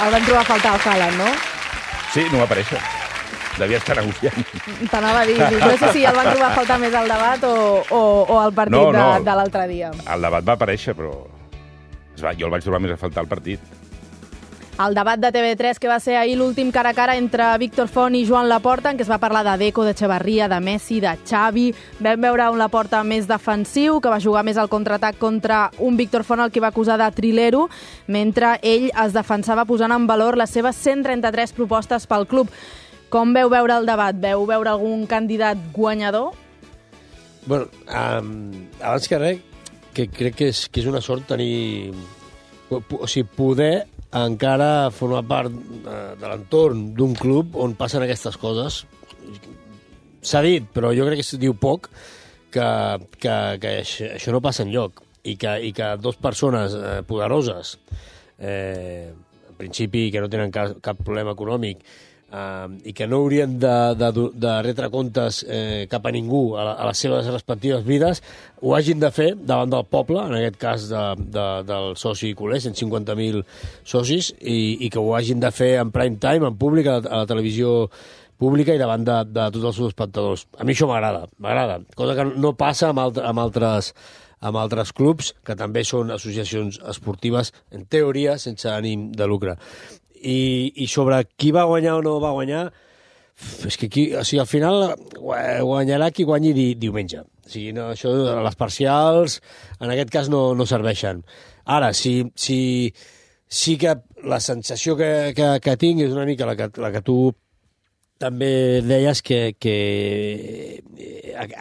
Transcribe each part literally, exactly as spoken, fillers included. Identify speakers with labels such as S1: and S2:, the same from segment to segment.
S1: el van trobar a faltar al Haaland, no?
S2: Sí, no va aparèixer. Devia estar negociant.
S1: T'anava a dir, no sé si el van trobar a faltar més al debat o, o, o al partit
S2: no, no.
S1: de, de l'altre dia.
S2: El debat va aparèixer, però es va, jo el vaig trobar més a faltar al partit.
S1: El debat de T V tres, que va ser ahir l'últim cara a cara entre Víctor Font i Joan Laporta, en què es va parlar de Deco, de Echevarría, de Messi, de Xavi. Vam veure un Laporta més defensiu, que va jugar més al contraatac contra un Víctor Font, el que va acusar de trilero, mentre ell es defensava posant en valor les seves cent trenta-tres propostes pel club. Com veu veure el debat? Veu veure algun candidat guanyador?
S3: Bueno, um, abans que res, que crec que és, que és una sort tenir... O sigui, poder encara formar part de l'entorn d'un club on passen aquestes coses. S'ha dit, però jo crec que es diu poc, que, que, que això no passa enlloc i que, i que dues persones eh, poderoses, eh, en principi que no tenen cap, cap problema econòmic, Uh, i que no haurien de, de, de retre comptes eh, cap a ningú a, la, a les seves respectives vides, ho hagin de fer davant del poble, en aquest cas de, de, del soci culer, cent cinquanta mil socis, i, i que ho hagin de fer en prime time, en públic, a la, a la televisió pública i davant de, de tots els seus espectadors. A mi això m'agrada, m'agrada, cosa que no passa amb, altre, amb altres amb altres clubs, que també són associacions esportives, en teoria, sense ànim de lucre. I, i sobre qui va guanyar o no va guanyar, és que aquí, o sigui, al final guanyarà qui guanyi di, diumenge. O sigui, no, això, les parcials, en aquest cas, no, no serveixen. Ara, si, si, sí que la sensació que, que, que tinc és una mica la que, la que tu també deies que, que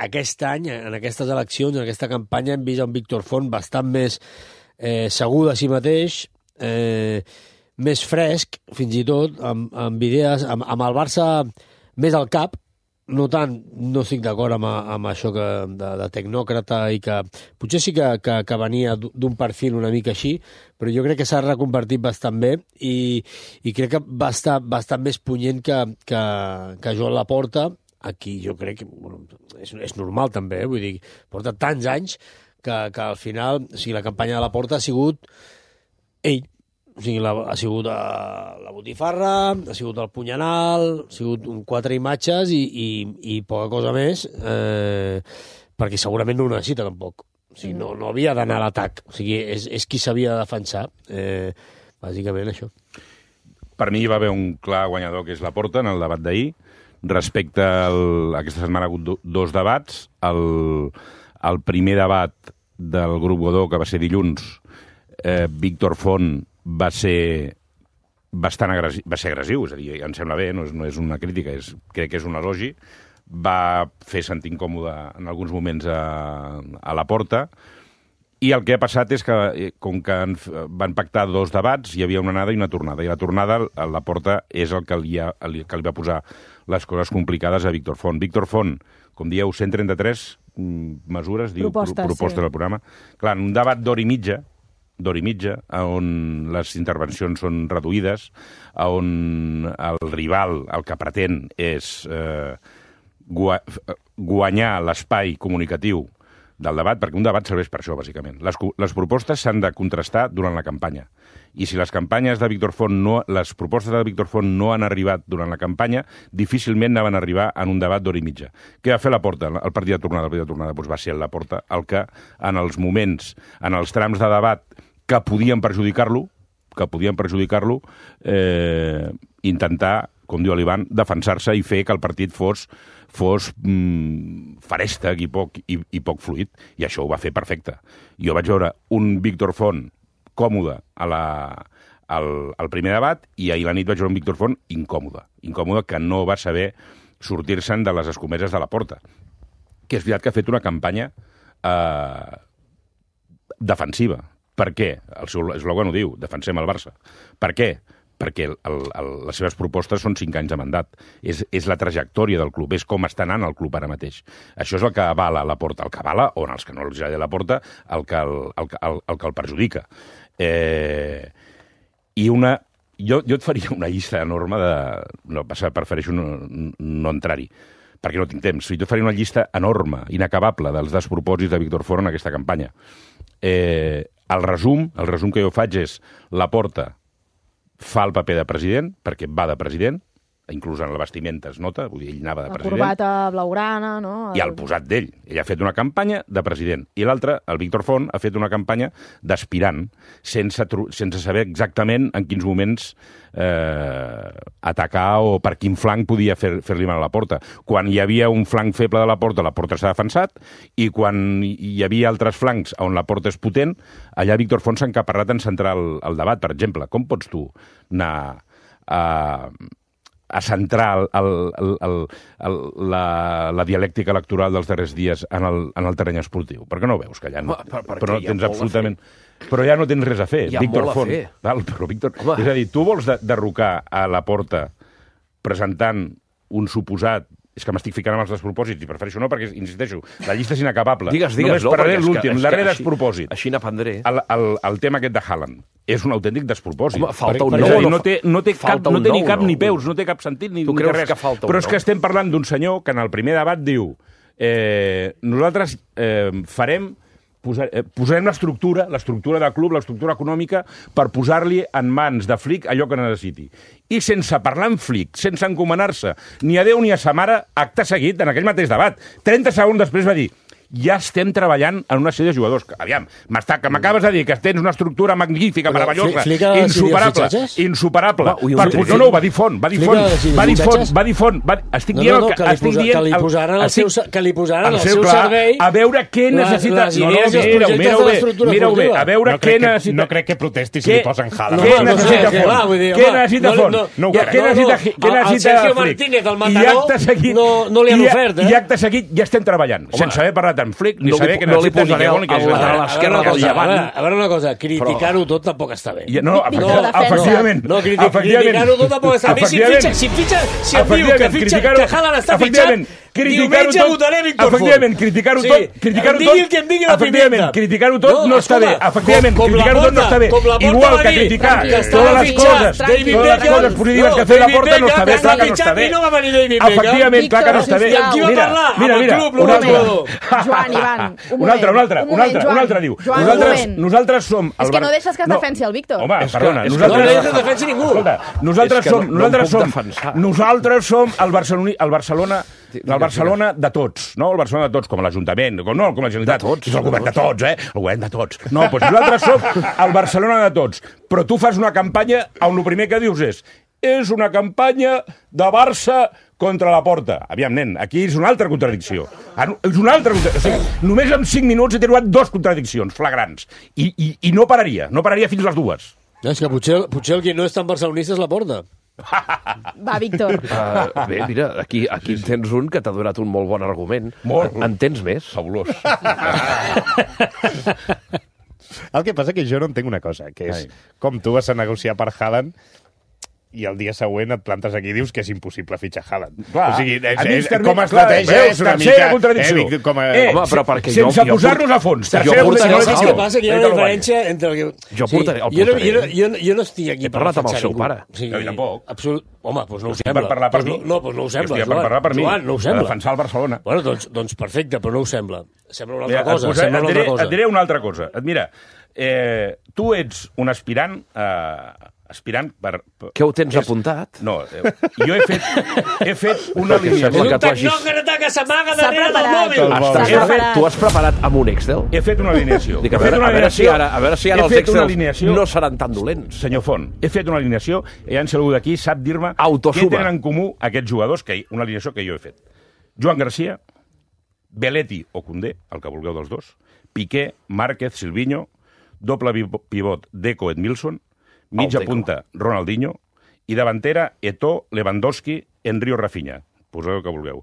S3: aquest any, en aquestes eleccions, en aquesta campanya, hem vist un Víctor Font bastant més eh, segur de si mateix, eh, més fresc, fins i tot, amb, amb idees, amb, amb el Barça més al cap, no tant, no estic d'acord amb, amb això que, de, de tecnòcrata i que potser sí que, que, que venia d'un perfil una mica així, però jo crec que s'ha reconvertit bastant bé i, i crec que va estar bastant més punyent que, que, que Joan Laporta, aquí jo crec que bueno, és, és normal també, eh? Vull dir, porta tants anys que, que al final, o sigui, la campanya de Laporta ha sigut ell. O sigui, la, ha sigut uh, la botifarra, ha sigut el punyanal, ha sigut un quatre imatges i, i, i poca cosa més, eh, perquè segurament no ho necessita tampoc. O sigui, no, no havia d'anar a l'atac. O sigui, és, és qui s'havia de defensar. Eh, bàsicament això.
S2: Per mi hi va haver un clar guanyador, que és Laporta, en el debat d'ahir. Respecte al... Aquesta setmana ha hagut dos debats. El, el primer debat del grup Godó, que va ser dilluns, eh, Víctor Font va ser bastant agressiu, va ser agressiu, és a dir, em sembla bé, no és, no és una crítica, és, crec que és un elogi, va fer sentir incòmode en alguns moments a, a Laporta, i el que ha passat és que, com que van pactar dos debats, hi havia una anada i una tornada, i la tornada, a Laporta, és el que li, ha, el que li va posar les coses complicades a Víctor Font. Víctor Font, com dieu, cent trenta-tres mesures, diu, propostes, propostes sí. del programa. Clar, en un debat d'hora i mitja, d'hora i mitja, on les intervencions són reduïdes, on el rival, el que pretén, és eh, guanyar l'espai comunicatiu del debat, perquè un debat serveix per això, bàsicament. Les, les propostes s'han de contrastar durant la campanya. I si les campanyes de Víctor Font no, les propostes de Víctor Font no han arribat durant la campanya, difícilment anaven a arribar en un debat d'hora i mitja. Què va fer Laporta? El partit de tornada, el partit de tornada doncs va ser el Laporta el que, en els moments, en els trams de debat que podien perjudicar-lo, que podien perjudicar-lo, eh, intentar, com diu l'Ivan, defensar-se i fer que el partit fos, fos mm, farèstec i poc, i, i poc fluid. I això ho va fer perfecte. Jo vaig veure un Víctor Font còmode a la, al, al primer debat i ahir la nit vaig veure un Víctor Font incòmode. Incòmode que no va saber sortir-se'n de les escomeses de Laporta. Que és veritat que ha fet una campanya eh, defensiva. Per què? El seu eslògan ho diu, defensem el Barça. Per què? Perquè el, el, les seves propostes són cinc anys de mandat. És, és la trajectòria del club, és com està anant el club ara mateix. Això és el que avala Laporta, el que avala, o en els que no els agrada Laporta, el que el, el, el, el, que el perjudica. Eh, I una... Jo, jo et faria una llista enorme de... No, prefereixo no, no entrar-hi, perquè no tinc temps. Jo et faria una llista enorme, inacabable, dels despropòsits de Víctor Font en aquesta campanya. Eh... El resum, el resum que jo faig és Laporta fa el paper de president, perquè va de president, inclús en la vestimenta es nota, vull dir, ell anava de
S1: la
S2: president.
S1: La corbata blaugrana, no? El...
S2: I el posat d'ell. Ell ha fet una campanya de president. I l'altre, el Víctor Font, ha fet una campanya d'aspirant, sense, sense saber exactament en quins moments eh, atacar o per quin flanc podia fer, fer-li mal a la Porta. Quan hi havia un flanc feble de la Porta, la Porta s'ha defensat, i quan hi havia altres flancs on la Porta és potent, allà Víctor Font s'ha encaparrat en centrar el, el debat. Per exemple, com pots tu anar a... a centrar el, el, el, el, la, la dialèctica electoral dels darrers dies en el, en el terreny esportiu? Per què no ho veus? Que ja no,
S4: per, per
S2: però no tens absolutament... Però ja no tens res a fer.
S4: Hi ha
S2: Víctor
S4: molt a
S2: Font.
S4: fer.
S2: Val, però Víctor... És a dir, tu vols de, derrocar a la Porta presentant un suposat... És que m'estic ficant amb els despropòsits, i prefereixo no, perquè, insisteixo, la llista és inacabable.
S4: Digues, digues,
S2: Només
S4: no,
S2: parlaré
S4: perquè és
S2: l'últim,
S4: que- és
S2: darrer
S4: que així-
S2: despropòsit.
S4: Així n'aprendré.
S2: El, el, el tema aquest de Haaland és un autèntic despropòsit.
S4: Home, falta un
S2: És a
S4: nou,
S2: dir,
S4: no
S2: no té, no té, cap,
S4: falta
S2: no
S4: un
S2: té ni
S4: nou,
S2: cap
S4: no?
S2: ni peus, no té cap sentit ni,
S4: Tu
S2: ni
S4: creus
S2: res.
S4: que falta un
S2: Però és
S4: nou?
S2: que estem parlant d'un senyor que en el primer debat diu eh, nosaltres eh, farem Posar, eh, posarem l'estructura, l'estructura de club, l'estructura econòmica, per posar-li en mans de Flick allò que necessiti. I sense parlar amb Flick, sense encomanar-se ni a Déu ni a sa mare, acte seguit, en aquell mateix debat, trenta segons després va dir ja estem treballant en una sèrie de jugadors. Aviam, que m'acabes de dir que tens una estructura magnífica,
S3: Però
S2: meravellosa,
S3: Flick ha
S2: insuperable,
S3: decidido fitxatges?
S2: insuperable.
S4: Home, ui,
S2: Per,
S4: un
S2: no, no, ho va dir Font, va dir
S3: Flick
S2: Font,
S3: ha decidido
S2: va dir Font,
S3: fitxatges?
S2: va dir Font, va, estic
S3: No,
S2: dient
S3: no, no,
S2: el
S3: que li,
S2: estic
S3: posa,
S2: dient
S3: que li
S2: el-
S3: posaran al
S2: estic-
S3: seu, que li posaran
S2: al
S3: al seu
S2: clar,
S3: servei
S2: a veure què
S3: les-
S2: necessita...
S3: les idees i els
S2: mira-ho,
S3: projectes
S2: mira-ho
S3: de
S2: bé,
S3: l'estructura
S2: mira-ho bé,
S3: esportiva.
S2: a veure
S5: No
S2: què
S5: crec, que,
S2: necessita...
S5: no crec que protesti si
S2: Què-
S5: li posen Haaland.
S3: No,
S2: Què
S3: no, no
S2: necessita
S3: sé,
S2: Font?
S3: clar, vull dir,
S2: Què
S3: home,
S2: necessita
S3: no li-
S2: Font?
S3: no,
S5: no ho
S3: ja-
S5: crec.
S2: Què
S3: no, no,
S2: necessita, què
S3: el- el
S2: necessita
S3: Sergio
S2: Flick?
S3: Martínez, el
S2: I
S3: Mataró,
S2: acte seguit,
S3: no- no li han
S2: i-
S3: ofert, eh?
S2: I acte seguit ja estem treballant, sense haver parlat amb Flick, ni
S4: No li-
S2: saber què
S4: no li
S2: necessita, ni
S4: posaré
S2: què vol, ni què
S4: el- el
S2: necessita.
S4: lateral esquerre
S3: A veure,
S4: del
S3: una cosa,
S4: Llevant.
S3: a veure, a veure una cosa, criticar-ho tot tampoc està bé.
S2: I- No,
S1: Víctor,
S2: efectivament,
S1: defensa.
S2: efectivament.
S3: No, criti-
S2: efectivament.
S3: criticar-ho tot tampoc està bé. Si
S2: Efectivament.
S3: fitxa, si fitxa, si em diu que
S2: Efectivament,
S3: fitxa,
S2: criticar-ho-
S3: que Haaland està
S2: efectivament,
S3: fitxat,
S2: criticar-ho
S3: diumenge
S2: tot-
S3: votaré Víctor Font.
S2: efectivament, criticar-ho
S3: Sí,
S2: tot, criticar-ho
S3: em digui
S2: tot,
S3: el que em digui la
S2: efectivament,
S3: pimenta.
S2: criticar-ho tot no,
S3: No,
S2: està bé,
S3: escolta,
S2: efectivament,
S3: com- com la
S2: criticar-ho tot no
S3: Porta-
S2: està bé,
S3: com la Porta
S2: igual
S3: va
S2: que
S3: dir
S2: criticar
S1: que estava
S2: totes les
S1: fitxat
S2: coses,
S1: David
S2: totes les
S1: Beckham.
S2: coses positives
S3: No,
S2: que ha fet la
S3: David
S2: Porta no està bé,
S3: Beckham,
S2: clar que no
S3: fitxat
S2: està bé.
S3: i no va venir David Beckham.
S2: Efectivament, clar que no està bé.
S1: Víctor, sisplau.
S3: I amb qui va
S2: Mira,
S3: parlar?
S2: mira,
S3: Amb el
S2: mira,
S3: club,
S2: un
S3: no amb
S2: altre.
S3: el jugador.
S1: Joan, Ivan, un
S2: Un
S1: moment,
S2: altre, un altre,
S1: un
S2: un
S1: moment,
S2: altre,
S1: Joan.
S2: un altre diu.
S1: Joan, un
S2: Nosaltres,
S1: moment.
S2: nosaltres som...
S1: És
S2: el
S1: que
S2: Bar-
S1: no deixes que es
S2: No.
S1: defensi el Víctor.
S2: Home,
S4: És que-
S2: perdona,
S4: és que
S2: nosaltres...
S3: no deixes que defensi ningú.
S2: Escolta, nosaltres
S4: És que
S2: som,
S4: no- no em
S2: nosaltres
S4: puc
S2: som,
S4: defensar.
S2: nosaltres som el Barcelona, el Barcelona, el Barcelona de tots, no? El Barcelona de tots, com l'Ajuntament, com, no, com la Generalitat.
S4: De tots,
S2: És el govern
S4: de
S2: de tots, eh? El govern de tots. No, doncs nosaltres som el Barcelona de tots. Però tu fas una campanya on el primer que dius és és una campanya de Barça contra la Porta. Aviam, nen, aquí és una altra contradicció. És una altra contradicció. O sigui, només en cinc minuts he trobat dos contradiccions flagrants. I, i, i no pararia, no pararia fins les dues.
S3: És que potser, potser el que no és tan barcelonista és la Porta.
S1: Va, Víctor.
S4: Uh, bé, mira, aquí, aquí en tens un que t'ha donat un molt bon argument.
S2: Molt.
S4: En tens més?
S2: Fabulós.
S5: El que passa que jo no entenc una cosa, que és
S2: Ai.
S5: com tu vas a negociar per Haaland i el dia següent et plantes aquí i dius que és impossible fitxar Haaland.
S2: Clar,
S5: o sigui, és,
S2: a mi
S5: és,
S2: termi-
S5: com a
S2: clar,
S5: estratègia
S2: veus,
S5: és una
S2: tercera
S5: mica...
S2: contradicció.
S5: Eh, Vic, com a...
S2: Eh,
S4: Home, però perquè jo-
S2: sense
S4: jo
S2: posar-nos
S4: port-
S2: a fons.
S4: jo
S2: Tercera
S4: portaré
S3: No,
S4: el
S3: és
S2: contradicció.
S3: que passa que hi ha una diferència entre... El que...
S4: Jo portaré- el
S3: jo, no,
S4: portaré.
S3: jo, no, jo, no, jo no estic aquí
S4: He parlat amb el
S3: defensar
S4: seu
S3: ningú.
S4: pare.
S3: O sigui,
S2: Jo tampoc.
S3: Absolut... Home, doncs no ho
S2: Estic
S3: sembla.
S2: per parlar per
S3: Doncs
S2: mi.
S3: No, no, doncs no ho sembla.
S2: Estic per
S3: Joan.
S2: parlar per mi.
S3: Joan, no ho
S2: Per
S3: sembla.
S2: defensar el Barcelona.
S3: Bueno, doncs, doncs perfecte, però no ho sembla. Sembla una
S2: Mira,
S3: altra cosa.
S2: et, posaré,
S3: Sembla
S2: et,
S3: una
S2: diré,
S3: altra cosa.
S2: et diré una altra cosa. Et Mira, eh, tu ets un aspirant... Eh, aspirant per... per
S4: Què ho tens
S2: és-
S4: apuntat?
S2: No, eh, jo he fet, he fet una
S4: Perquè
S2: alineació.
S4: sembla
S3: És
S4: que
S3: un
S4: tu hagis-
S3: tecnòcrata que s'amaga
S1: S'ha
S3: darrere del
S1: preparat.
S3: mòbil.
S5: El
S4: Estàs
S1: S'ha
S4: fet,
S1: preparat.
S4: tu has preparat amb un Excel?
S2: He fet una alineació.
S4: Dic, a
S2: He fet
S4: veure,
S2: una
S4: a veure si
S2: alineació-
S4: ara, a veure si ara
S2: he
S4: els
S2: fet una
S4: Excels
S2: alineació-
S4: no seran tan dolents.
S2: Senyor Font, he fet una alineació i ja si algú d'aquí sap dir-me
S4: Autosuma.
S2: què tenen en comú aquests jugadors, que una alineació que jo he fet. Joan Garcia, Belletti o Koundé, el que vulgueu dels dos, Piqué, Márquez, Silvinho, doble pivot Deco, Edmilson, mitja
S4: Deco.
S2: punta Ronaldinho i davantera Eto'o, Lewandowski, Henry o Rafinha. Poseu el que vulgueu.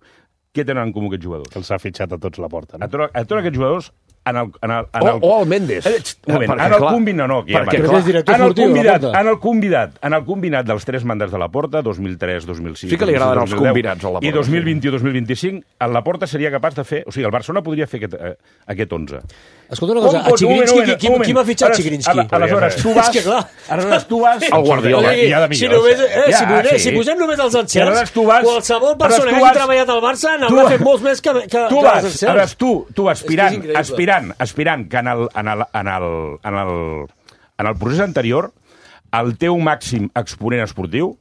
S2: Què tenen en comú aquests jugadors?
S5: Que els ha fitxat a tots la Porta,
S2: A
S5: no?
S2: tots, a tots aquests jugadors en el, en el, en
S4: O,
S2: el,
S4: o el Mendes.
S2: Eh, xt, un moment,
S4: Perquè,
S2: en el
S4: clar,
S2: combinat, no, aquí ja
S4: perquè,
S2: va.
S3: Però
S4: clar,
S3: és director
S2: En el,
S3: esportiu de la
S2: convidat,
S3: Porta.
S2: en, el convidat, en el combinat dels tres mandats de la Porta, dos mil tres, dos mil sis...
S4: Sí que li agraden els
S2: dos mil deu,
S4: combinats a la Porta,
S2: I dos mil vint
S4: sí.
S2: i dos mil vint-i-cinc, en la Porta seria capaç de fer... O sigui, el Barcelona podria fer aquest, eh, aquest onze.
S3: Escolta una cosa, a Chigrinski, qui, qui, qui m'ha fitxat Chigrinski?
S2: Aleshores, tu vas...
S3: És que clar,
S2: aleshores, tu vas...
S4: El Guardiola.
S3: O sigui,
S5: hi ha de
S3: si,
S5: millors.
S3: només, eh,
S2: Ja,
S3: si, posem,
S2: sí.
S3: si posem només els
S2: I aleshores
S3: encerts,
S2: tu vas-
S3: qualsevol persona
S2: aleshores
S3: que
S2: tu
S3: hagi
S2: vas-
S3: treballat al Barça
S2: tu
S3: n'haurà
S2: vas-
S3: fet molts més que, que,
S2: tu
S3: que
S2: vas,
S3: els
S2: aleshores
S3: encerts.
S2: tu, tu aspirant,
S3: És que és increïble.
S2: aspirant, aspirant que en el, en el, en el, en el, en el procés anterior el teu màxim exponent esportiu,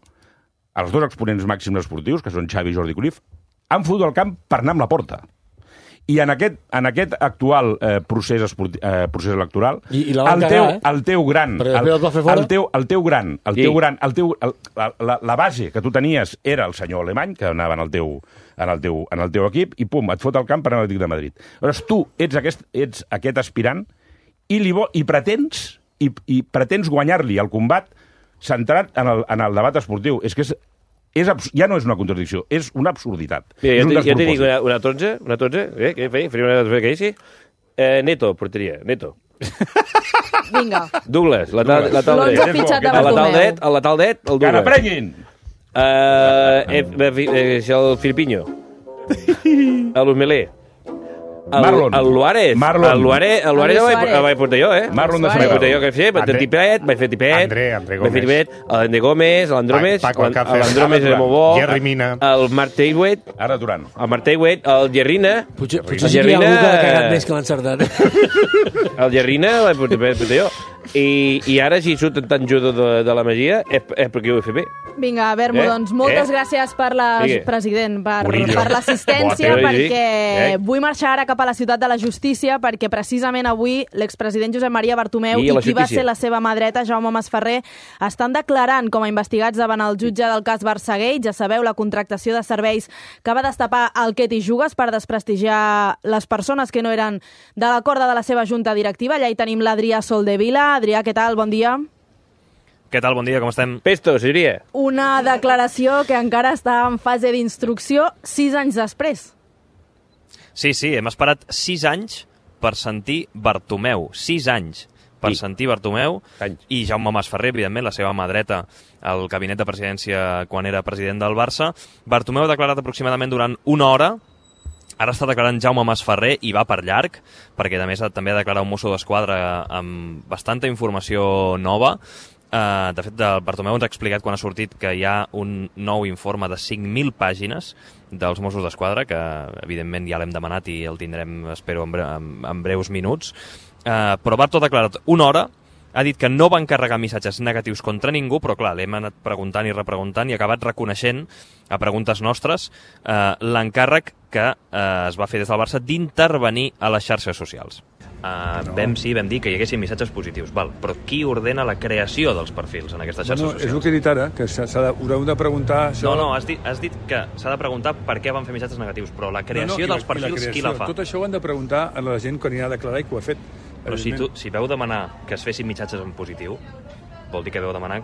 S2: els dos exponents màxims esportius, que són Xavi i Jordi Cruyff, han fotut el camp per anar amb la porta. I en aquest, en aquest actual eh, procés, esporti, eh, procés electoral,
S3: I, i la van
S2: el,
S3: cagar,
S2: teu,
S3: eh?
S2: el teu gran, el,
S3: el,
S2: el, teu, el teu gran, el
S4: Sí.
S2: teu gran, el teu, el, la, la, la base que tu tenies era el senyor alemany, que anava en el teu, en el teu, en el teu equip, i pum, et fot el camp per anar a l'Atlètic de Madrid. Llavors tu ets aquest, ets aquest aspirant i, li vo, i pretens i, i pretens guanyar-li el combat centrat en el, en el debat esportiu. És que és, és abs... ja no és una contradicció, és una absurditat.
S4: Mira,
S2: és
S4: jo,
S2: un
S4: te, jo te dic
S2: despropòsit.
S4: una, una tonze, una tonze, eh? Què feia? Faria una tonze, què sí? Eh, Neto, porteria, Neto.
S1: Vinga.
S4: Douglas, lateral, lateral
S1: L'onze
S4: dret.
S1: fitxat de
S4: El lateral
S1: Bartomeu.
S4: dret, el lateral dret, el
S2: Que
S4: Douglas.
S2: n'aprenguin!
S4: Eh, eh, eh, eh, el Filipinho. El Humelé. El,
S2: Marlon.
S4: El Luárez.
S2: Marlon.
S4: El Luárez, el Luárez
S1: El
S4: el vaig,
S1: Suárez.
S4: el vaig portar jo, eh?
S2: Marlon de
S1: Suárez.
S4: Vaig
S2: Sabadell.
S4: portar jo, que fer, vaig fer
S5: André-
S4: tipet, vaig fer tipet.
S5: André- André
S4: Vaig fer tipet. L'André Gómez, l'Andròmez.
S5: Paco Alcácer.
S4: L'Andròmez era molt bo.
S5: Jerry Mina.
S4: El Marc Teiwet.
S2: Ara Duran.
S4: El Marc Teiwet. El Gerrina.
S3: Potser, potser
S4: El
S3: sí que hi ha
S4: Gerrina-
S3: algú que l'ha cagat més que l'ha encertat.
S4: El Gerrina el vaig portar vaig portar jo. I, I ara, si surt tan judo de, de la magia, és, és perquè ho he fet bé.
S1: Vinga, Bermo,
S4: Eh?
S1: doncs moltes
S4: Eh?
S1: gràcies per la,
S4: Sigue.
S1: president, per,
S5: Murillo.
S1: per l'assistència,
S4: Boa,
S1: perquè
S4: eh?
S1: vull marxar ara cap a la ciutat de la justícia, perquè precisament avui l'expresident Josep Maria Bartomeu
S4: I
S1: i,
S4: a la
S1: qui va
S4: justícia.
S1: ser la seva mà dreta, Jaume Masferrer, estan declarant com a investigats davant el jutge del cas Barçagate. Ja sabeu, la contractació de serveis que va destapar el Què t'hi jugues per desprestigiar les persones que no eren de la corda de la seva junta directiva. Allà hi tenim l'Adrià Soldevila. Adrià, què tal? Bon dia.
S6: Què tal? Bon dia, com estem?
S4: Pesto, seria.
S1: Una declaració que encara està en fase d'instrucció sis anys després.
S6: Sí, sí, hem esperat sis anys per sentir Bartomeu. Sis anys per
S4: Sí.
S6: sentir Bartomeu
S4: Anys.
S6: i Jaume Masferrer, evidentment, la seva mà dreta al gabinet de presidència quan era president del Barça. Bartomeu ha declarat aproximadament durant una hora. Ara està declarant Jaume Masferrer i va per llarg, perquè a més també ha declarat un mosso d'esquadra amb bastanta informació nova. Uh, de fet, el Bartomeu ens ha explicat quan ha sortit que hi ha un nou informe de cinc mil pàgines dels Mossos d'Esquadra, que evidentment ja l'hem demanat i el tindrem, espero, en, bre en, en breus minuts. Uh, però Barto ha declarat una hora, ha dit que no va encarregar missatges negatius contra ningú, però clar, l'hem anat preguntant i repreguntant i ha acabat reconeixent, a preguntes nostres, uh, l'encàrrec que uh, es va fer des del Barça d'intervenir a les xarxes socials. Uh, no. Vam, sí, vam dir que hi haguessin missatges positius, val, però qui ordena la creació dels perfils en aquestes xarxes
S7: No, no, és el
S6: socials?
S7: que he dit ara, que s'ha de, haureu de preguntar... Això...
S6: No, no, has dit, has dit que s'ha de preguntar per què van fer missatges negatius, però la creació
S7: no, no, i
S6: dels
S7: la- i la
S6: perfils, qui
S7: creació.
S6: la fa?
S7: Tot això ho han de preguntar a la gent que anirà a declarar i que ho ha fet.
S6: Però si, tu,
S7: Evidentment.
S6: si veu demanar que es fessin missatges en positiu, vol dir que veu demanar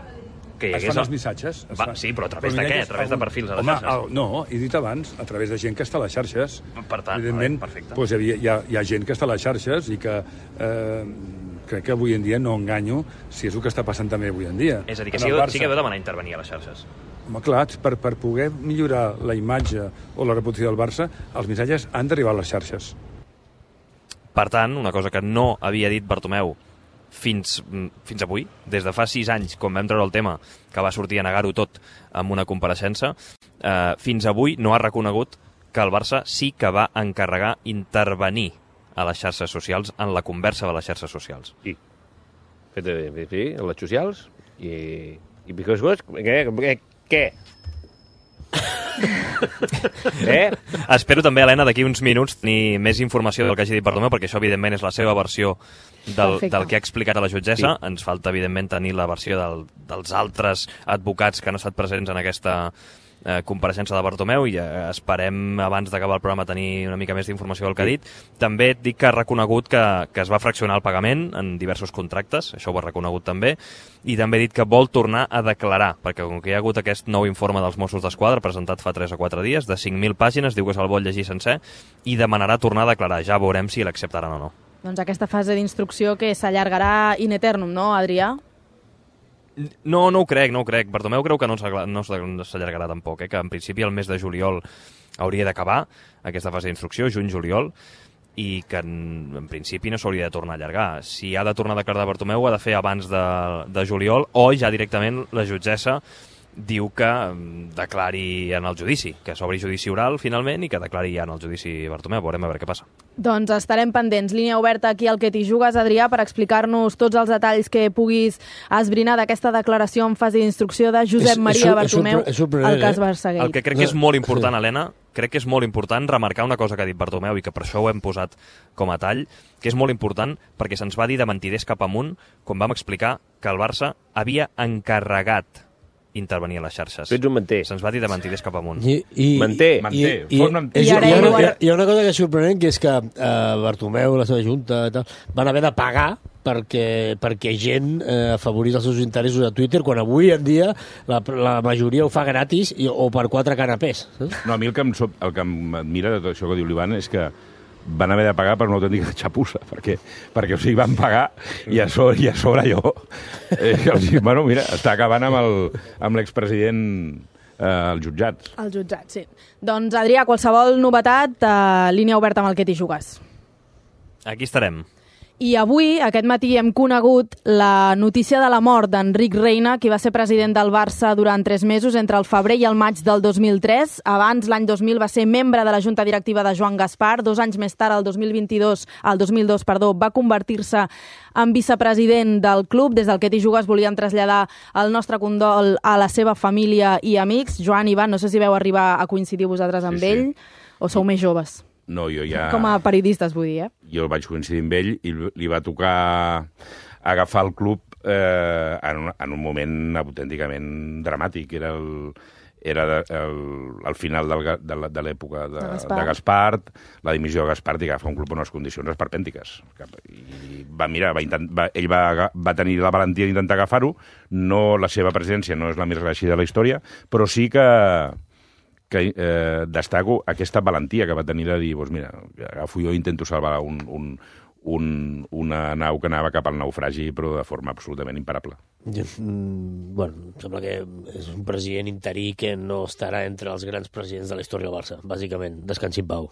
S6: que hi
S7: Es
S6: hagués...
S7: fan els missatges. es
S6: Va,
S7: fan.
S6: sí, però a través
S7: Però
S6: de què?
S7: missatges,
S6: A través de
S7: algun-
S6: perfils a les
S7: Home,
S6: xarxes?
S7: el, no, he dit abans, a través de gent que està a les xarxes.
S6: Per tant,
S7: Evidentment,
S6: vale, perfecte.
S7: doncs, hi, havia, hi, ha, hi ha gent que està a les xarxes i que eh, crec que avui en dia no enganyo si és el que està passant també avui en dia.
S6: És a dir, que
S7: En
S6: sí,
S7: el Barça.
S6: sí que veu demanar intervenir a les xarxes.
S7: Home, clar, per, per poder millorar la imatge o la reputació del Barça, els missatges han d'arribar a les xarxes.
S6: Per tant, una cosa que no havia dit Bartomeu fins, fins avui, des de fa sis anys, quan vam treure el tema, que va sortir a negar-ho tot amb una compareixença, eh, fins avui no ha reconegut que el Barça sí que va encarregar intervenir a les xarxes socials, en la conversa de les xarxes socials.
S4: Sí. Fet de, sí, a les socials i... I piques coses? Què? Què? Què? eh?
S6: Espero també, Helena, d'aquí uns minuts tenir més informació del que hagi dit Bartomeu, perquè això, evidentment, és la seva versió del,
S1: Perfecte.
S6: del que ha explicat a la jutgessa. Sí. Ens falta, evidentment, tenir la versió del, dels altres advocats que han estat presents en aquesta eh, compareixença de Bartomeu i eh, esperem, abans d'acabar el programa, tenir una mica més d'informació del que ha dit. També et dic que ha reconegut que, que es va fraccionar el pagament en diversos contractes, això ho ha reconegut també, i també ha dit que vol tornar a declarar, perquè com que hi ha hagut aquest nou informe dels Mossos d'Esquadra presentat fa tres o quatre dies, de cinc mil pàgines, diu que se'l vol llegir sencer, i demanarà tornar a declarar. Ja veurem si l'acceptaran o no.
S1: Doncs aquesta fase d'instrucció que s'allargarà in eternum, no, Adrià?
S6: No, no ho crec, no ho crec. Bartomeu creu que no s'agla- no s'allargarà tampoc, eh? Que en principi el mes de juliol hauria d'acabar aquesta fase d'instrucció, juny-juliol, i que en, en principi no s'hauria de tornar a allargar. Si ha de tornar a declarar Bartomeu, ho ha de fer abans de, de juliol, o ja directament la jutgessa diu que declari en el judici, que s'obri judici oral finalment i que declari ja en el judici Bartomeu. Veurem a veure què passa.
S1: Doncs estarem pendents. Línia oberta aquí al Que t'hi jugues, Adrià, per explicar-nos tots els detalls que puguis esbrinar d'aquesta declaració en fase d'instrucció de Josep Maria Bartomeu al cas Barça-Gate.
S6: El que crec que és molt important, Helena, crec que és molt important remarcar una cosa que ha dit Bartomeu i que per això ho hem posat com a tall, que és molt important perquè se'ns va dir de mentiders cap amunt quan vam explicar que el Barça havia encarregat intervenir a les xarxes.
S4: Tu ets un menter.
S6: Se'ns va dir de mentiders cap amunt.
S3: I, i,
S4: Manté.
S3: I,
S2: Manté.
S3: i,
S2: Font
S3: i,
S1: I ara
S3: hi, ha,
S1: ell ho
S3: una,
S1: ha-
S3: hi ha una cosa que és sorprenent, que és que eh, Bartomeu, la seva junta, tal, van haver de pagar perquè, perquè gent eh, afavorís els seus interessos a Twitter, quan avui en dia la, la majoria ho fa gratis i, o per quatre canapés. Eh?
S2: No, a mi el que em, sop- el que em admira de tot això que diu l'Ivan és que van haver de pagar per una autèntica xapussa, perquè, perquè o sigui, van pagar i a sobre, i a sobre allò... Eh, o sigui, bueno, mira, està acabant amb el- amb l'expresident eh, als jutjats.
S1: Al jutjat, sí. Doncs, Adrià, qualsevol novetat, eh, línia oberta amb el Que t'hi jugues.
S6: Aquí estarem.
S1: I avui, aquest matí, hem conegut la notícia de la mort d'Enric Reina, qui va ser president del Barça durant tres mesos, entre el febrer i el maig del dos mil tres. Abans, l'any dos mil, va ser membre de la junta directiva de Joan Gaspar. Dos anys més tard, el dos mil vint-i-dos, el dos mil dos, perdó, va convertir-se en vicepresident del club. Des del Que t'hi jugues volíem traslladar el nostre condol a la seva família i amics. Joan, Ivan, no sé si veu arribar a coincidir vosaltres amb
S2: Sí, sí.
S1: ell, o sou més joves?
S2: No, jo ja...
S1: Com a periodistes, vull dir, eh?
S2: Jo vaig coincidir amb ell i li va tocar agafar el club eh, en, un, en un moment autènticament dramàtic. Era el, era de, el, el final del, ga- de, la- de l'època de,
S1: De Gaspar.
S2: de Gaspart, la dimissió de Gaspart i agafar un club en unes condicions esperpèntiques. I va, mira, va intent, va, ell va, aga- va tenir la valentia d'intentar agafar-ho. No, la seva presidència no és la més reeixida de la història, però sí que que eh, destaco aquesta valentia que va tenir de dir, doncs mira, agafo jo i intento salvar un, un, un, una nau que anava cap al naufragi, però de forma absolutament imparable.
S3: Mm, bueno, em sembla que és un president interí que no estarà entre els grans presidents de la història del Barça, bàsicament. Descansi en pau.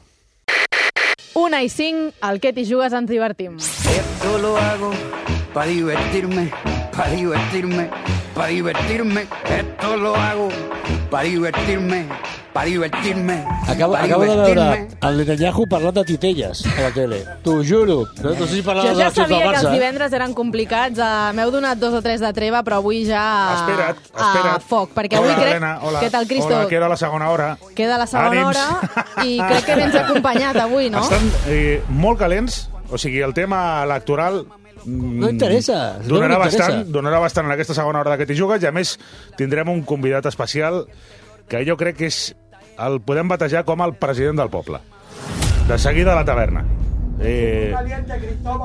S1: Una i cinc, al Que t'hi jugues ens divertim.
S8: Esto lo hago para divertirme, para divertirme, para divertirme. Esto lo hago para divertirme, para divertirme.
S3: Acabo,
S8: pa
S3: acabo de veure
S8: divertirme.
S3: el Netanyahu parlant de titelles a la tele. T'ho juro. No, no sé si parlava
S1: Jo
S3: de
S1: ja
S3: les eleccions del
S1: sabia que els
S3: Barça.
S1: divendres eren complicats. Uh, M'heu donat dos o tres de treva, però avui ja
S9: Espera't,
S1: a
S9: espera't.
S1: foc. Perquè avui
S9: Hola,
S1: crec...
S9: Helena, hola.
S1: Què tal, Cristo?
S9: Hola, queda la segona hora.
S1: Queda la segona
S9: Ànims.
S1: hora i crec que vens acompanyat avui, no?
S9: Estan eh, molt calents, o sigui, el tema electoral mm,
S3: No interessa. No
S9: donarà,
S3: m'interessa.
S9: bastant, donarà bastant en aquesta segona hora de Que t'hi jugues, i a més tindrem un convidat especial que jo crec que és el podem batejar com el president del poble. De seguida a la taverna. Eh,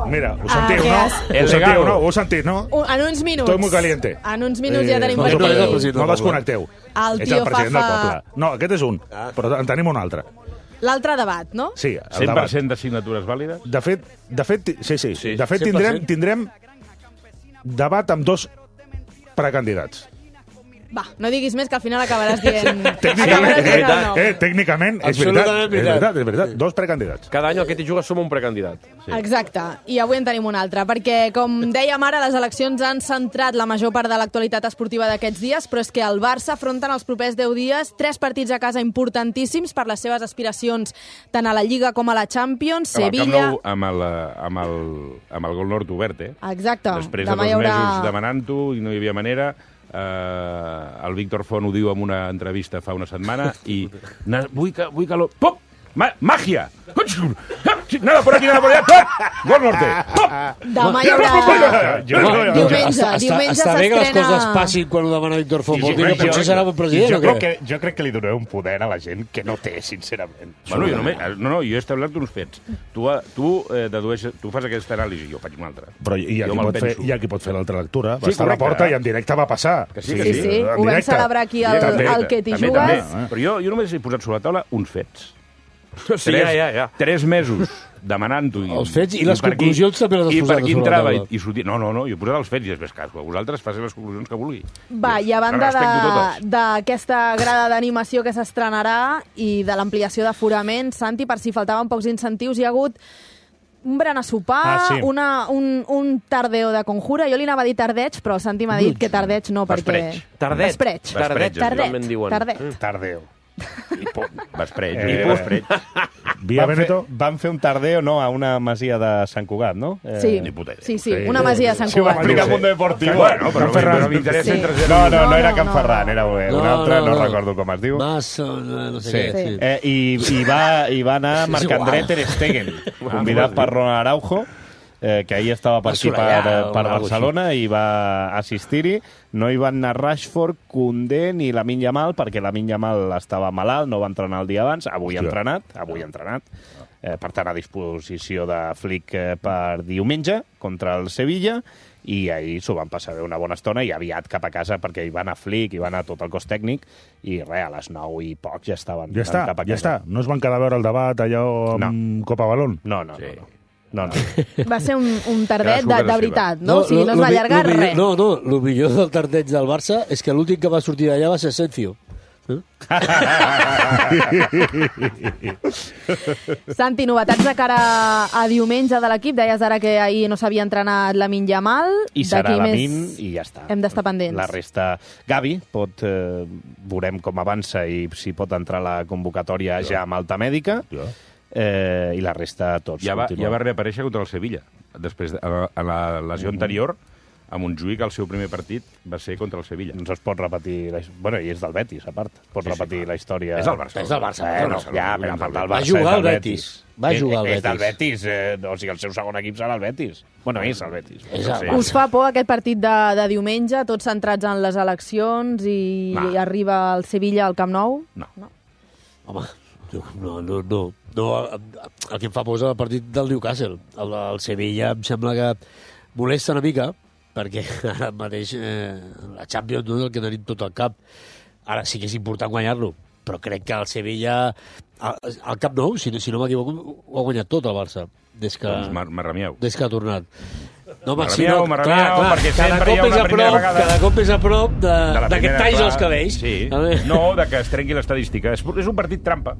S9: mira, ho sentiu,
S1: que
S9: no?
S1: has-
S9: Ho sentiu, no? Ho heu sentit, no?
S1: Un- En uns minuts.
S9: Estoy muy caliente.
S1: En uns minuts ja tenim
S3: no,
S1: per
S3: no, no, no,
S1: aquí.
S3: no,
S9: No desconnecteu.
S1: El
S9: És
S1: tio
S9: el president
S1: Fafa-
S9: del poble. No, aquest és un, però en tenim un altre.
S1: L'altre debat, no?
S9: Sí, el
S2: cent per
S9: debat.
S2: cent de signatures vàlides?
S9: De fet, de fet, ti- sí, sí.
S4: Sí,
S9: de fet
S3: cent per
S9: tindrem,
S3: cent.
S9: tindrem debat amb dos precandidats.
S1: Va, no diguis més, que al final acabaràs dient...
S9: Tècnicament,
S1: acabaràs dient el
S4: veritat.
S1: nom.
S9: eh, tècnicament és veritat,
S3: Absolutament
S9: és
S3: veritat.
S9: veritat, és veritat. Dos precandidats.
S4: Cada any al Que t'hi jugues som un precandidat.
S1: Sí. Exacte, i avui en tenim un altre, perquè, com dèiem ara, les eleccions han centrat la major part de l'actualitat esportiva d'aquests dies, però és que el Barça afronta en els propers deu dies tres partits a casa importantíssims per les seves aspiracions tant a la Lliga com a la Champions,
S2: Amb el Camp
S1: Sevilla...
S2: Nou, amb el, amb el, amb el gol nord obert, eh?
S1: Exacte,
S2: Després de
S1: demà
S2: dos
S1: hi haurà...
S2: mesos demanant-ho i no hi havia manera, eh, el Víctor Font ho diu en una entrevista fa una setmana i na, vull que... Vull que lo... Pop! Ma Màgia! Nada por aquí, nada por allá! Pop! Gol norte! Pop!
S1: Demà hi haurà...
S9: Jo,
S3: Home,
S9: jo, jo,
S1: Diumenge,
S3: està, està,
S1: diumenge
S3: està bé que les
S1: s'estrena-
S3: coses passin quan ho demana Víctor Font.
S5: I
S3: Vol
S5: jo
S3: dir que
S5: crec que-
S3: potser serà bon
S5: I
S3: president
S5: jo
S3: o
S5: crec,
S3: què?
S5: que, jo crec que li donaré un poder a la gent que no té, sincerament.
S2: Bueno, jo només, no, no, jo he establert uns fets. Tu, tu, eh, dedueixes, tu fas aquesta anàlisi, jo faig una altra.
S9: Però hi ha,
S2: Jo
S9: qui
S2: me'l
S9: pot fer,
S2: penso.
S9: hi ha qui pot fer l'altra lectura. Va
S2: Sí,
S9: estar a la
S2: correcte.
S9: porta i en directe va passar.
S2: Que sí,
S1: Sí,
S2: que
S1: sí,
S9: en
S1: ho vam
S9: directe.
S1: celebrar aquí al,
S9: També,
S1: al Que t'hi
S2: També,
S1: jugues.
S2: també. Però jo, jo només he posat sobre la taula uns fets.
S4: Sí, ja, ja, ja.
S2: Tres mesos demanant-ho. i-
S3: Els fets i les
S2: per aquí-
S3: conclusions també les has
S2: I
S3: posat
S2: per aquí
S3: sobre la
S2: entrava i,
S3: taula.
S2: i sortia... No, no, no, jo he posat els fets i després, que vosaltres facin les conclusions que vulgui.
S1: Va, i a
S2: Les
S1: banda
S2: respecto
S1: de-
S2: totes.
S1: d'aquesta grada d'animació que s'estrenarà i de l'ampliació d'aforaments, Santi, per si faltaven pocs incentius, hi ha hagut un berenar sopar,
S5: Ah, sí.
S1: una, un, un tardeo de conjura. Jo li anava a dir tardeig, però el Santi m'ha dit que tardeig no, perquè...
S2: Vespreig.
S4: Tardet.
S1: Vespreig.
S4: Tardet,
S1: Tardet.
S4: també en diuen.
S1: Tardet.
S4: Mm.
S5: Tardeo.
S2: Vespreig.
S5: Eh,
S2: Eh, vespreig.
S9: Via
S5: Van fer,
S9: Veneto.
S5: van fer un tardeo, no?, a una masia de Sant Cugat, no? Eh,
S1: Sí,
S2: Ni puta idea.
S1: sí, sí,
S9: Sí.
S1: una masia de Sant
S5: Sí, ho va
S1: Cugat.
S5: explicar
S9: Sí.
S5: Mundo Deportivo.
S2: Bueno, però,
S9: Can Ferran.
S2: però m'interessa
S1: Sí.
S2: entre zero
S5: No,
S2: i
S5: no, no,
S1: No,
S5: era
S1: no,
S5: Can
S1: no.
S5: Ferran, era un
S3: No,
S5: altre, no,
S3: no, no.
S5: recordo com es diu.
S3: Mas, no, no sé
S5: Sí.
S3: què.
S1: Sí.
S3: Sí.
S5: Eh, i, i, va, I va anar
S3: És
S5: Marc-André
S3: igual.
S5: Ter Stegen, convidat per Ronald Araujo, eh, que ahir estava per aquí per,
S3: Assolellar,
S5: per
S3: o algo
S5: Barcelona i va assistir-hi. No hi van anar Rashford, Koundé ni Lamine Yamal, perquè Lamine Yamal estava malalt, no va entrenar el dia abans. Avui ha
S9: Hòstia.
S5: entrenat, avui ha entrenat. Eh, per tant, a disposició de Flick eh, per diumenge contra el Sevilla, i ahir s'ho van passar bé una bona estona i aviat cap a casa perquè hi va anar Flick, hi va anar tot el cos tècnic i res, a les nou i poc ja estaven
S9: Ja està,
S5: cap a
S9: ja
S5: casa.
S9: està. No es van quedar a veure el debat allò amb Copa Balón?
S5: No, no,
S2: Sí.
S5: no. no. no, no.
S1: Va ser un, un tardet
S2: Cadascú
S1: de,
S2: casa
S1: de
S2: seva.
S1: veritat, no? O sigui, no es
S3: lo
S1: va
S3: mi-
S1: allargar
S3: lo millor-
S1: res.
S3: No, no, el millor del tardeig del Barça és que l'últim que va sortir d'allà va ser Asensio. Eh?
S1: Santi, novetats de cara a diumenge de l'equip. Deies ara que ahir no s'havia entrenat Lamine Yamal.
S5: I serà
S1: D'aquí
S5: Lamine
S1: més
S5: i ja està.
S1: Hem d'estar pendents.
S5: La resta... Gavi, pot, eh, veurem com avança i si pot entrar a la convocatòria ja amb alta mèdica.
S9: Ja.
S5: Eh, I la resta tots
S2: Ja va, ja
S5: continuen.
S2: va reaparèixer contra el Sevilla. Després, de, a, a la lesió anterior, a Montjuïc, el seu primer partit va ser contra el Sevilla.
S5: No es pot repetir... La... Bueno, i és del Betis, a part. Pot
S2: Sí, sí,
S5: repetir
S2: clar.
S5: la història...
S2: És del Barça.
S3: És del Barça,
S5: Eh,
S3: eh?
S5: no, ja, però a part del
S3: Va
S5: Barça
S3: jugar
S5: és
S3: al
S5: del
S3: Betis. Va jugar al
S5: És, és del
S3: Betis.
S5: Betis, eh, o sigui, el seu segon equip serà el Betis. Bueno, és el Betis.
S3: És
S2: No
S3: el
S2: sé.
S3: Barça.
S1: Us fa por aquest partit de, de diumenge, tots centrats en les eleccions i,
S2: No.
S1: i arriba el Sevilla al Camp Nou?
S2: No.
S3: Home, no, no, no. no el que em fa por és el partit del Newcastle. El, el Sevilla em sembla que molesta una mica, perquè ara mateix eh, la Champions no és el que tenim tot al cap. Ara sí que és important guanyar-lo, però crec que el Sevilla, al, al Camp Nou, si, si no m'equivoco, ho ha guanyat tot el Barça, des que,
S2: Doncs mar marramieu.
S3: des que ha tornat. No, home,
S2: Marramieu, marramieu, perquè
S3: cada
S2: sempre hi ha
S3: cop és
S2: una
S3: a
S2: primera
S3: prop,
S2: vegada.
S3: cada cop és a prop de,
S2: De la
S3: de que et
S2: primera,
S3: tallis
S2: clar.
S3: els cabells.
S2: Sí.
S3: A veure.
S2: No, de que es trenqui l'estadística. És, és un partit trampa.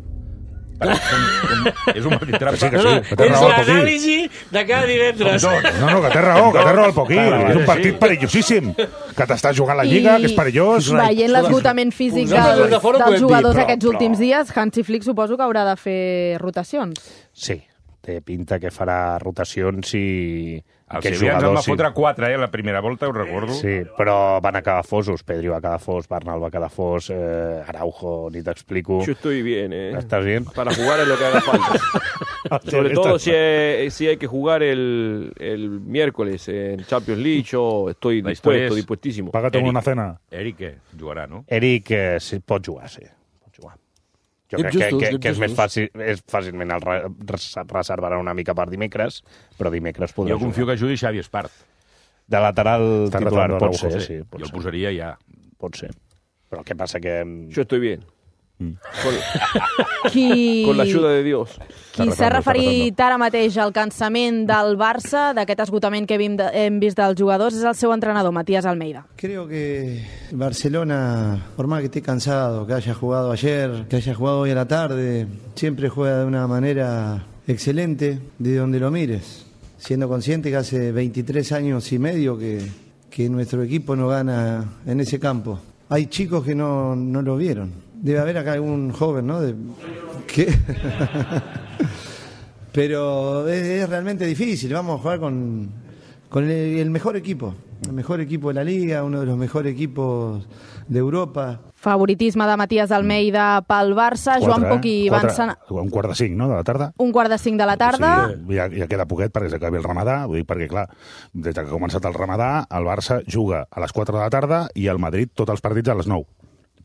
S2: Com, com, és un partit trampa.
S9: Sí, que
S3: No,
S9: sí,
S3: no,
S9: que té
S3: és
S9: raó el Poquí.
S3: l'anàlisi de cada divendres.
S9: No, no, que té raó, que té raó el Poquí.
S2: Clar,
S9: És un
S2: sí.
S9: partit perillosíssim. Que t'estàs jugant la Lliga, que és perillós.
S1: Veient l'esgotament físic
S3: Nosaltres
S1: dels,
S3: des de fora ho
S1: dels
S3: podem dir,
S1: jugadors
S3: però-
S1: aquests
S3: però-
S1: últims dies, Hansi Flick suposo que haurà de fer rotacions.
S5: Sí, té pinta que farà rotacions i...
S2: El
S5: aquests
S2: Sevilla ens en va
S5: sí.
S2: fotre quatre, eh, la primera volta, ho recordo.
S5: Sí, però van acabar fosos. Pedri va quedar fos, Bernal va quedar fos, eh, Araujo, ni t'explico.
S4: Yo estoy bien, ¿eh?
S5: ¿Estás bien?
S4: Para jugar es lo que haga falta. Sobre todo si hay, si hay que jugar el, el miércoles en Champions League, yo estoy
S2: La historia
S4: dispuesto,
S2: es-
S4: dispuestísimo.
S9: Paga't
S2: Eric.
S9: una cena.
S2: Eric, què? Jugarà, no?
S5: Eric eh, sí, pot jugar, sí. Pot jugar. Jo
S3: Anem
S5: crec que,
S3: justos,
S5: que,
S3: anem
S5: que és més
S3: justos.
S5: fàcil, és fàcilment el re, res- reservarà una mica per dimecres, però dimecres podrà
S2: Jo confio
S5: jugar.
S2: que jugui Xavi Espart.
S5: De lateral
S9: Està
S5: titular
S9: retornant
S5: pot
S9: Araujo,
S5: ser,
S9: sí.
S5: sí, pot
S2: Jo el
S5: ser.
S2: posaria ja.
S5: Pot ser. Però el que passa que...
S4: Yo estoy bien. Con,
S1: Qui,
S4: con la ayuda de Dios.
S1: qui
S9: Està
S1: s'ha
S9: retornant, està
S1: referit ara mateix al cansament del Barça, d'aquest esgotament que hem, de, hem vist dels jugadors, és el seu entrenador, Matías Almeida.
S10: Creo que Barcelona, por más que esté cansado, que haya jugado ayer, que haya jugado hoy a la tarde, siempre juega de una manera excelente de donde lo mires, siendo consciente que hace veintitrés años y medio que, que nuestro equipo no gana en ese campo. Hay chicos que no, no lo vieron. Debe haber acá algún joven, ¿no? De, que Pero es, es realmente difícil. Vamos a jugar con, con el, el mejor equipo. El mejor equipo de la Liga, uno de los mejores equipos de Europa.
S1: Favoritisme de Matías Almeida pel Barça, Joan
S9: Quatre,
S1: Poquí
S9: eh?
S1: va
S9: Quatre,
S1: encenar
S9: un quart de cinc, no?, de la tarda.
S1: un quart de cinc de la tarda.
S9: Sí, ja, ja queda poquet perquè s'acabi el ramadà, vull dir, perquè, clar, des que ha començat el ramadà, el Barça juga a les quatre de la tarda i el Madrid tots els partits a les nou.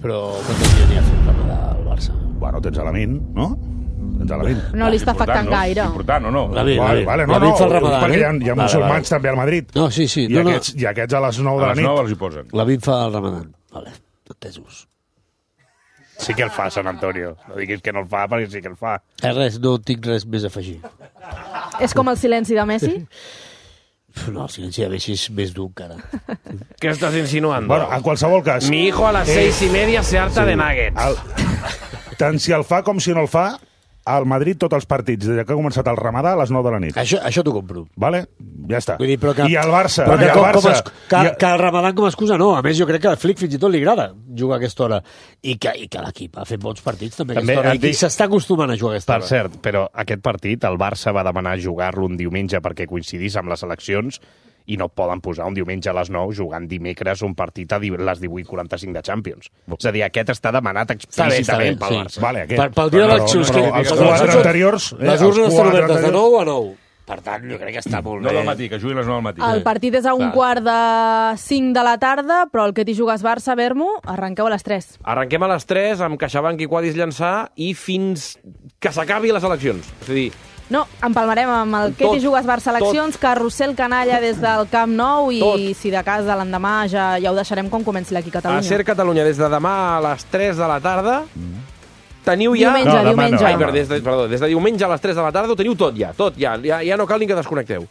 S3: Però quants dies n'hi ha fet ramadà al Barça?
S9: Bueno, tens a Lamin, no? Tens a Lamin.
S1: No li està afectant
S2: no?
S1: gaire.
S2: Important, o no?
S3: Lamin,
S9: Vale,
S3: Lamin.
S9: vale, no,
S3: Lamin
S9: no,
S3: fa el ramadà,
S9: perquè hi ha,
S3: eh?
S9: hi ha
S3: Vale,
S9: musulmans
S3: vale.
S9: també al Madrid.
S3: No, sí, sí.
S9: I,
S3: No, no.
S9: aquests, I aquests a les nou de
S2: A
S9: la
S2: les nou
S9: nit.
S2: els hi posen.
S3: Lamin fa el ramadà. Vale, entesos.
S5: Sí que el fa, Sant Antonio. No diguis que no el fa, perquè sí que el fa.
S3: Eh, res, no tinc res més a afegir.
S1: És com el silenci de Messi?
S3: No, el silenci de Messi és més dur encara.
S4: ¿Qué estás insinuando?
S9: Bueno, en qualsevol cas...
S4: Mi hijo a las
S9: Eh,
S4: seis y media se harta
S9: sí,
S4: de nuggets.
S9: El, tant si el fa com si no el fa, al Madrid tots els partits, des que ha començat el Ramadà, a les nou de la nit.
S3: Això, això t'ho compro.
S9: Vale? Ja està.
S3: Vull dir, però que,
S9: I el Barça.
S3: Però que,
S9: i el
S3: com,
S9: Barça
S3: com es, que,
S9: i...
S3: que el Ramadà com a excusa no. A més, jo crec que al Flick fins i tot li agrada jugar a aquesta hora. I que, i que l'equip ha fet bons partits també,
S5: també
S3: a aquesta hora.
S5: dic...
S3: I s'està acostumant a jugar a aquesta
S5: per
S3: hora.
S5: Per cert, però aquest partit el Barça va demanar jugar-lo un diumenge perquè coincidís amb les eleccions i no poden posar un diumenge a les nou jugant dimecres un partit a les divuit quaranta-cinc de Champions. És a dir, aquest està demanat explícitament pel Barça.
S9: Sí. Vale, aquest.
S3: Per, pel dia d'eleccions.
S9: Però, però, els quatre anteriors...
S3: Eh, les urnes estan obertes de nou a nou. Per tant, jo crec que està molt
S2: no
S3: bé.
S2: No del matí, que jugui a les nou del matí.
S1: El partit és a un
S2: Clar.
S1: quart de cinc de la tarda, però el que t'hi jugues Barça, Bermo, arrenqueu a les tres.
S4: Arrenquem a les tres amb CaixaBank i Quadis llançar i fins que s'acabi les eleccions. És a dir,
S1: No, empalmarem amb el que t'hi jugues Barça eleccions, carrusel canalla des del Camp Nou i
S4: tot.
S1: Si de cas de l'endemà ja, ja ho deixarem com comenci l'Aquí Catalunya.
S4: a Ser Catalunya des de demà a les tres de la tarda teniu ja...
S1: Diumenge,
S2: No, demà
S1: diumenge.
S2: no.
S4: Ai, perdó, des de, perdó, des de diumenge a les tres de la tarda ho teniu tot ja, tot ja. Ja, ja no cal ni que desconnecteu.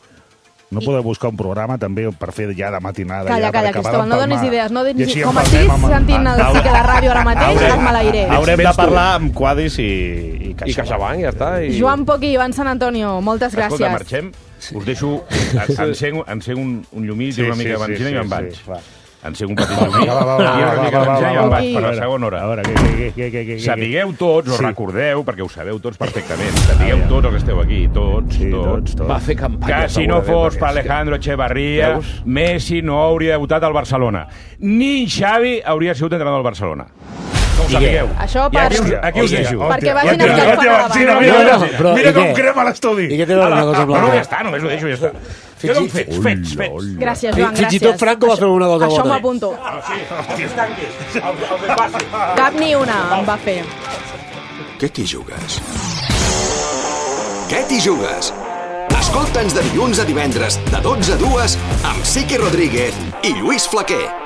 S9: No podeu buscar un programa també per fer ja de matinada.
S1: Calla,
S9: ja,
S1: calla,
S9: per acabar
S1: Cristóbal, no
S9: d'empalmar.
S1: donis idees. No
S9: I
S1: donis...
S9: així
S1: Com
S9: empalmem
S1: estiguis
S9: amb-
S1: sentint el
S9: amb-
S1: Xique de ràdio ara mateix, et maleiré.
S5: Haurem de
S4: Vens tu.
S5: parlar amb Quadis i, i
S4: I CaixaBank, ja està. I...
S1: Joan Poch i Ivan San Antonio, moltes gràcies.
S2: Escolta, marxem. Us deixo... Enceng, enceng un, un llumí, sí, una mica de benzina i me'n vaig.
S5: Sí, va.
S2: Enceng un petit llumí,
S9: Va, va, va,
S2: i una
S9: va,
S2: mica de
S9: va, va,
S2: benzina i
S9: va,
S2: me'n
S9: va.
S2: vaig per la
S9: A
S2: segona hora.
S9: A veure, què, què, què, què, què, què?
S2: Sapigueu tots, o
S9: Sí.
S2: recordeu, perquè ho sabeu tots perfectament, sapigueu tots els que esteu aquí, tots,
S9: Sí,
S2: tots,
S9: tots, tots.
S4: Va fer campanya.
S2: que si no
S4: segurament,
S2: fos
S4: perquè
S2: per
S4: és que-
S2: Alejandro Echevarría,
S4: Veus?
S2: Messi no hauria debutat al Barcelona. Ni Xavi hauria sigut entrenador del Barcelona. Que ho sapigueu.
S1: Això
S2: I
S1: per...
S2: aquí us, aquí us deixo.
S1: Perquè vagin
S9: Hòstia,
S1: escalfant
S9: hòstia,
S1: a la
S9: benzina,
S1: banda.
S9: mira,
S3: No,
S9: mira,
S3: no, però,
S9: mira
S3: i
S9: com
S3: què?
S9: crema l'estudi.
S3: I què té a veure una cosa amb
S2: No, no, ja
S3: l'altra?
S2: està, només ho deixo, ja està.
S3: Fins
S2: Queden
S3: i-
S2: fets, fets, fets.
S1: Gràcies, Joan, gràcies.
S3: Fins i tot Franco va fer una cosa
S1: Això
S3: bona.
S1: m'ho apunto. Cap ni una em va fer.
S11: Què t'hi jugues? Què t'hi jugues? Escolta'ns de dilluns a divendres, de dotze a dues, amb Sique Rodríguez i Lluís Flaquer.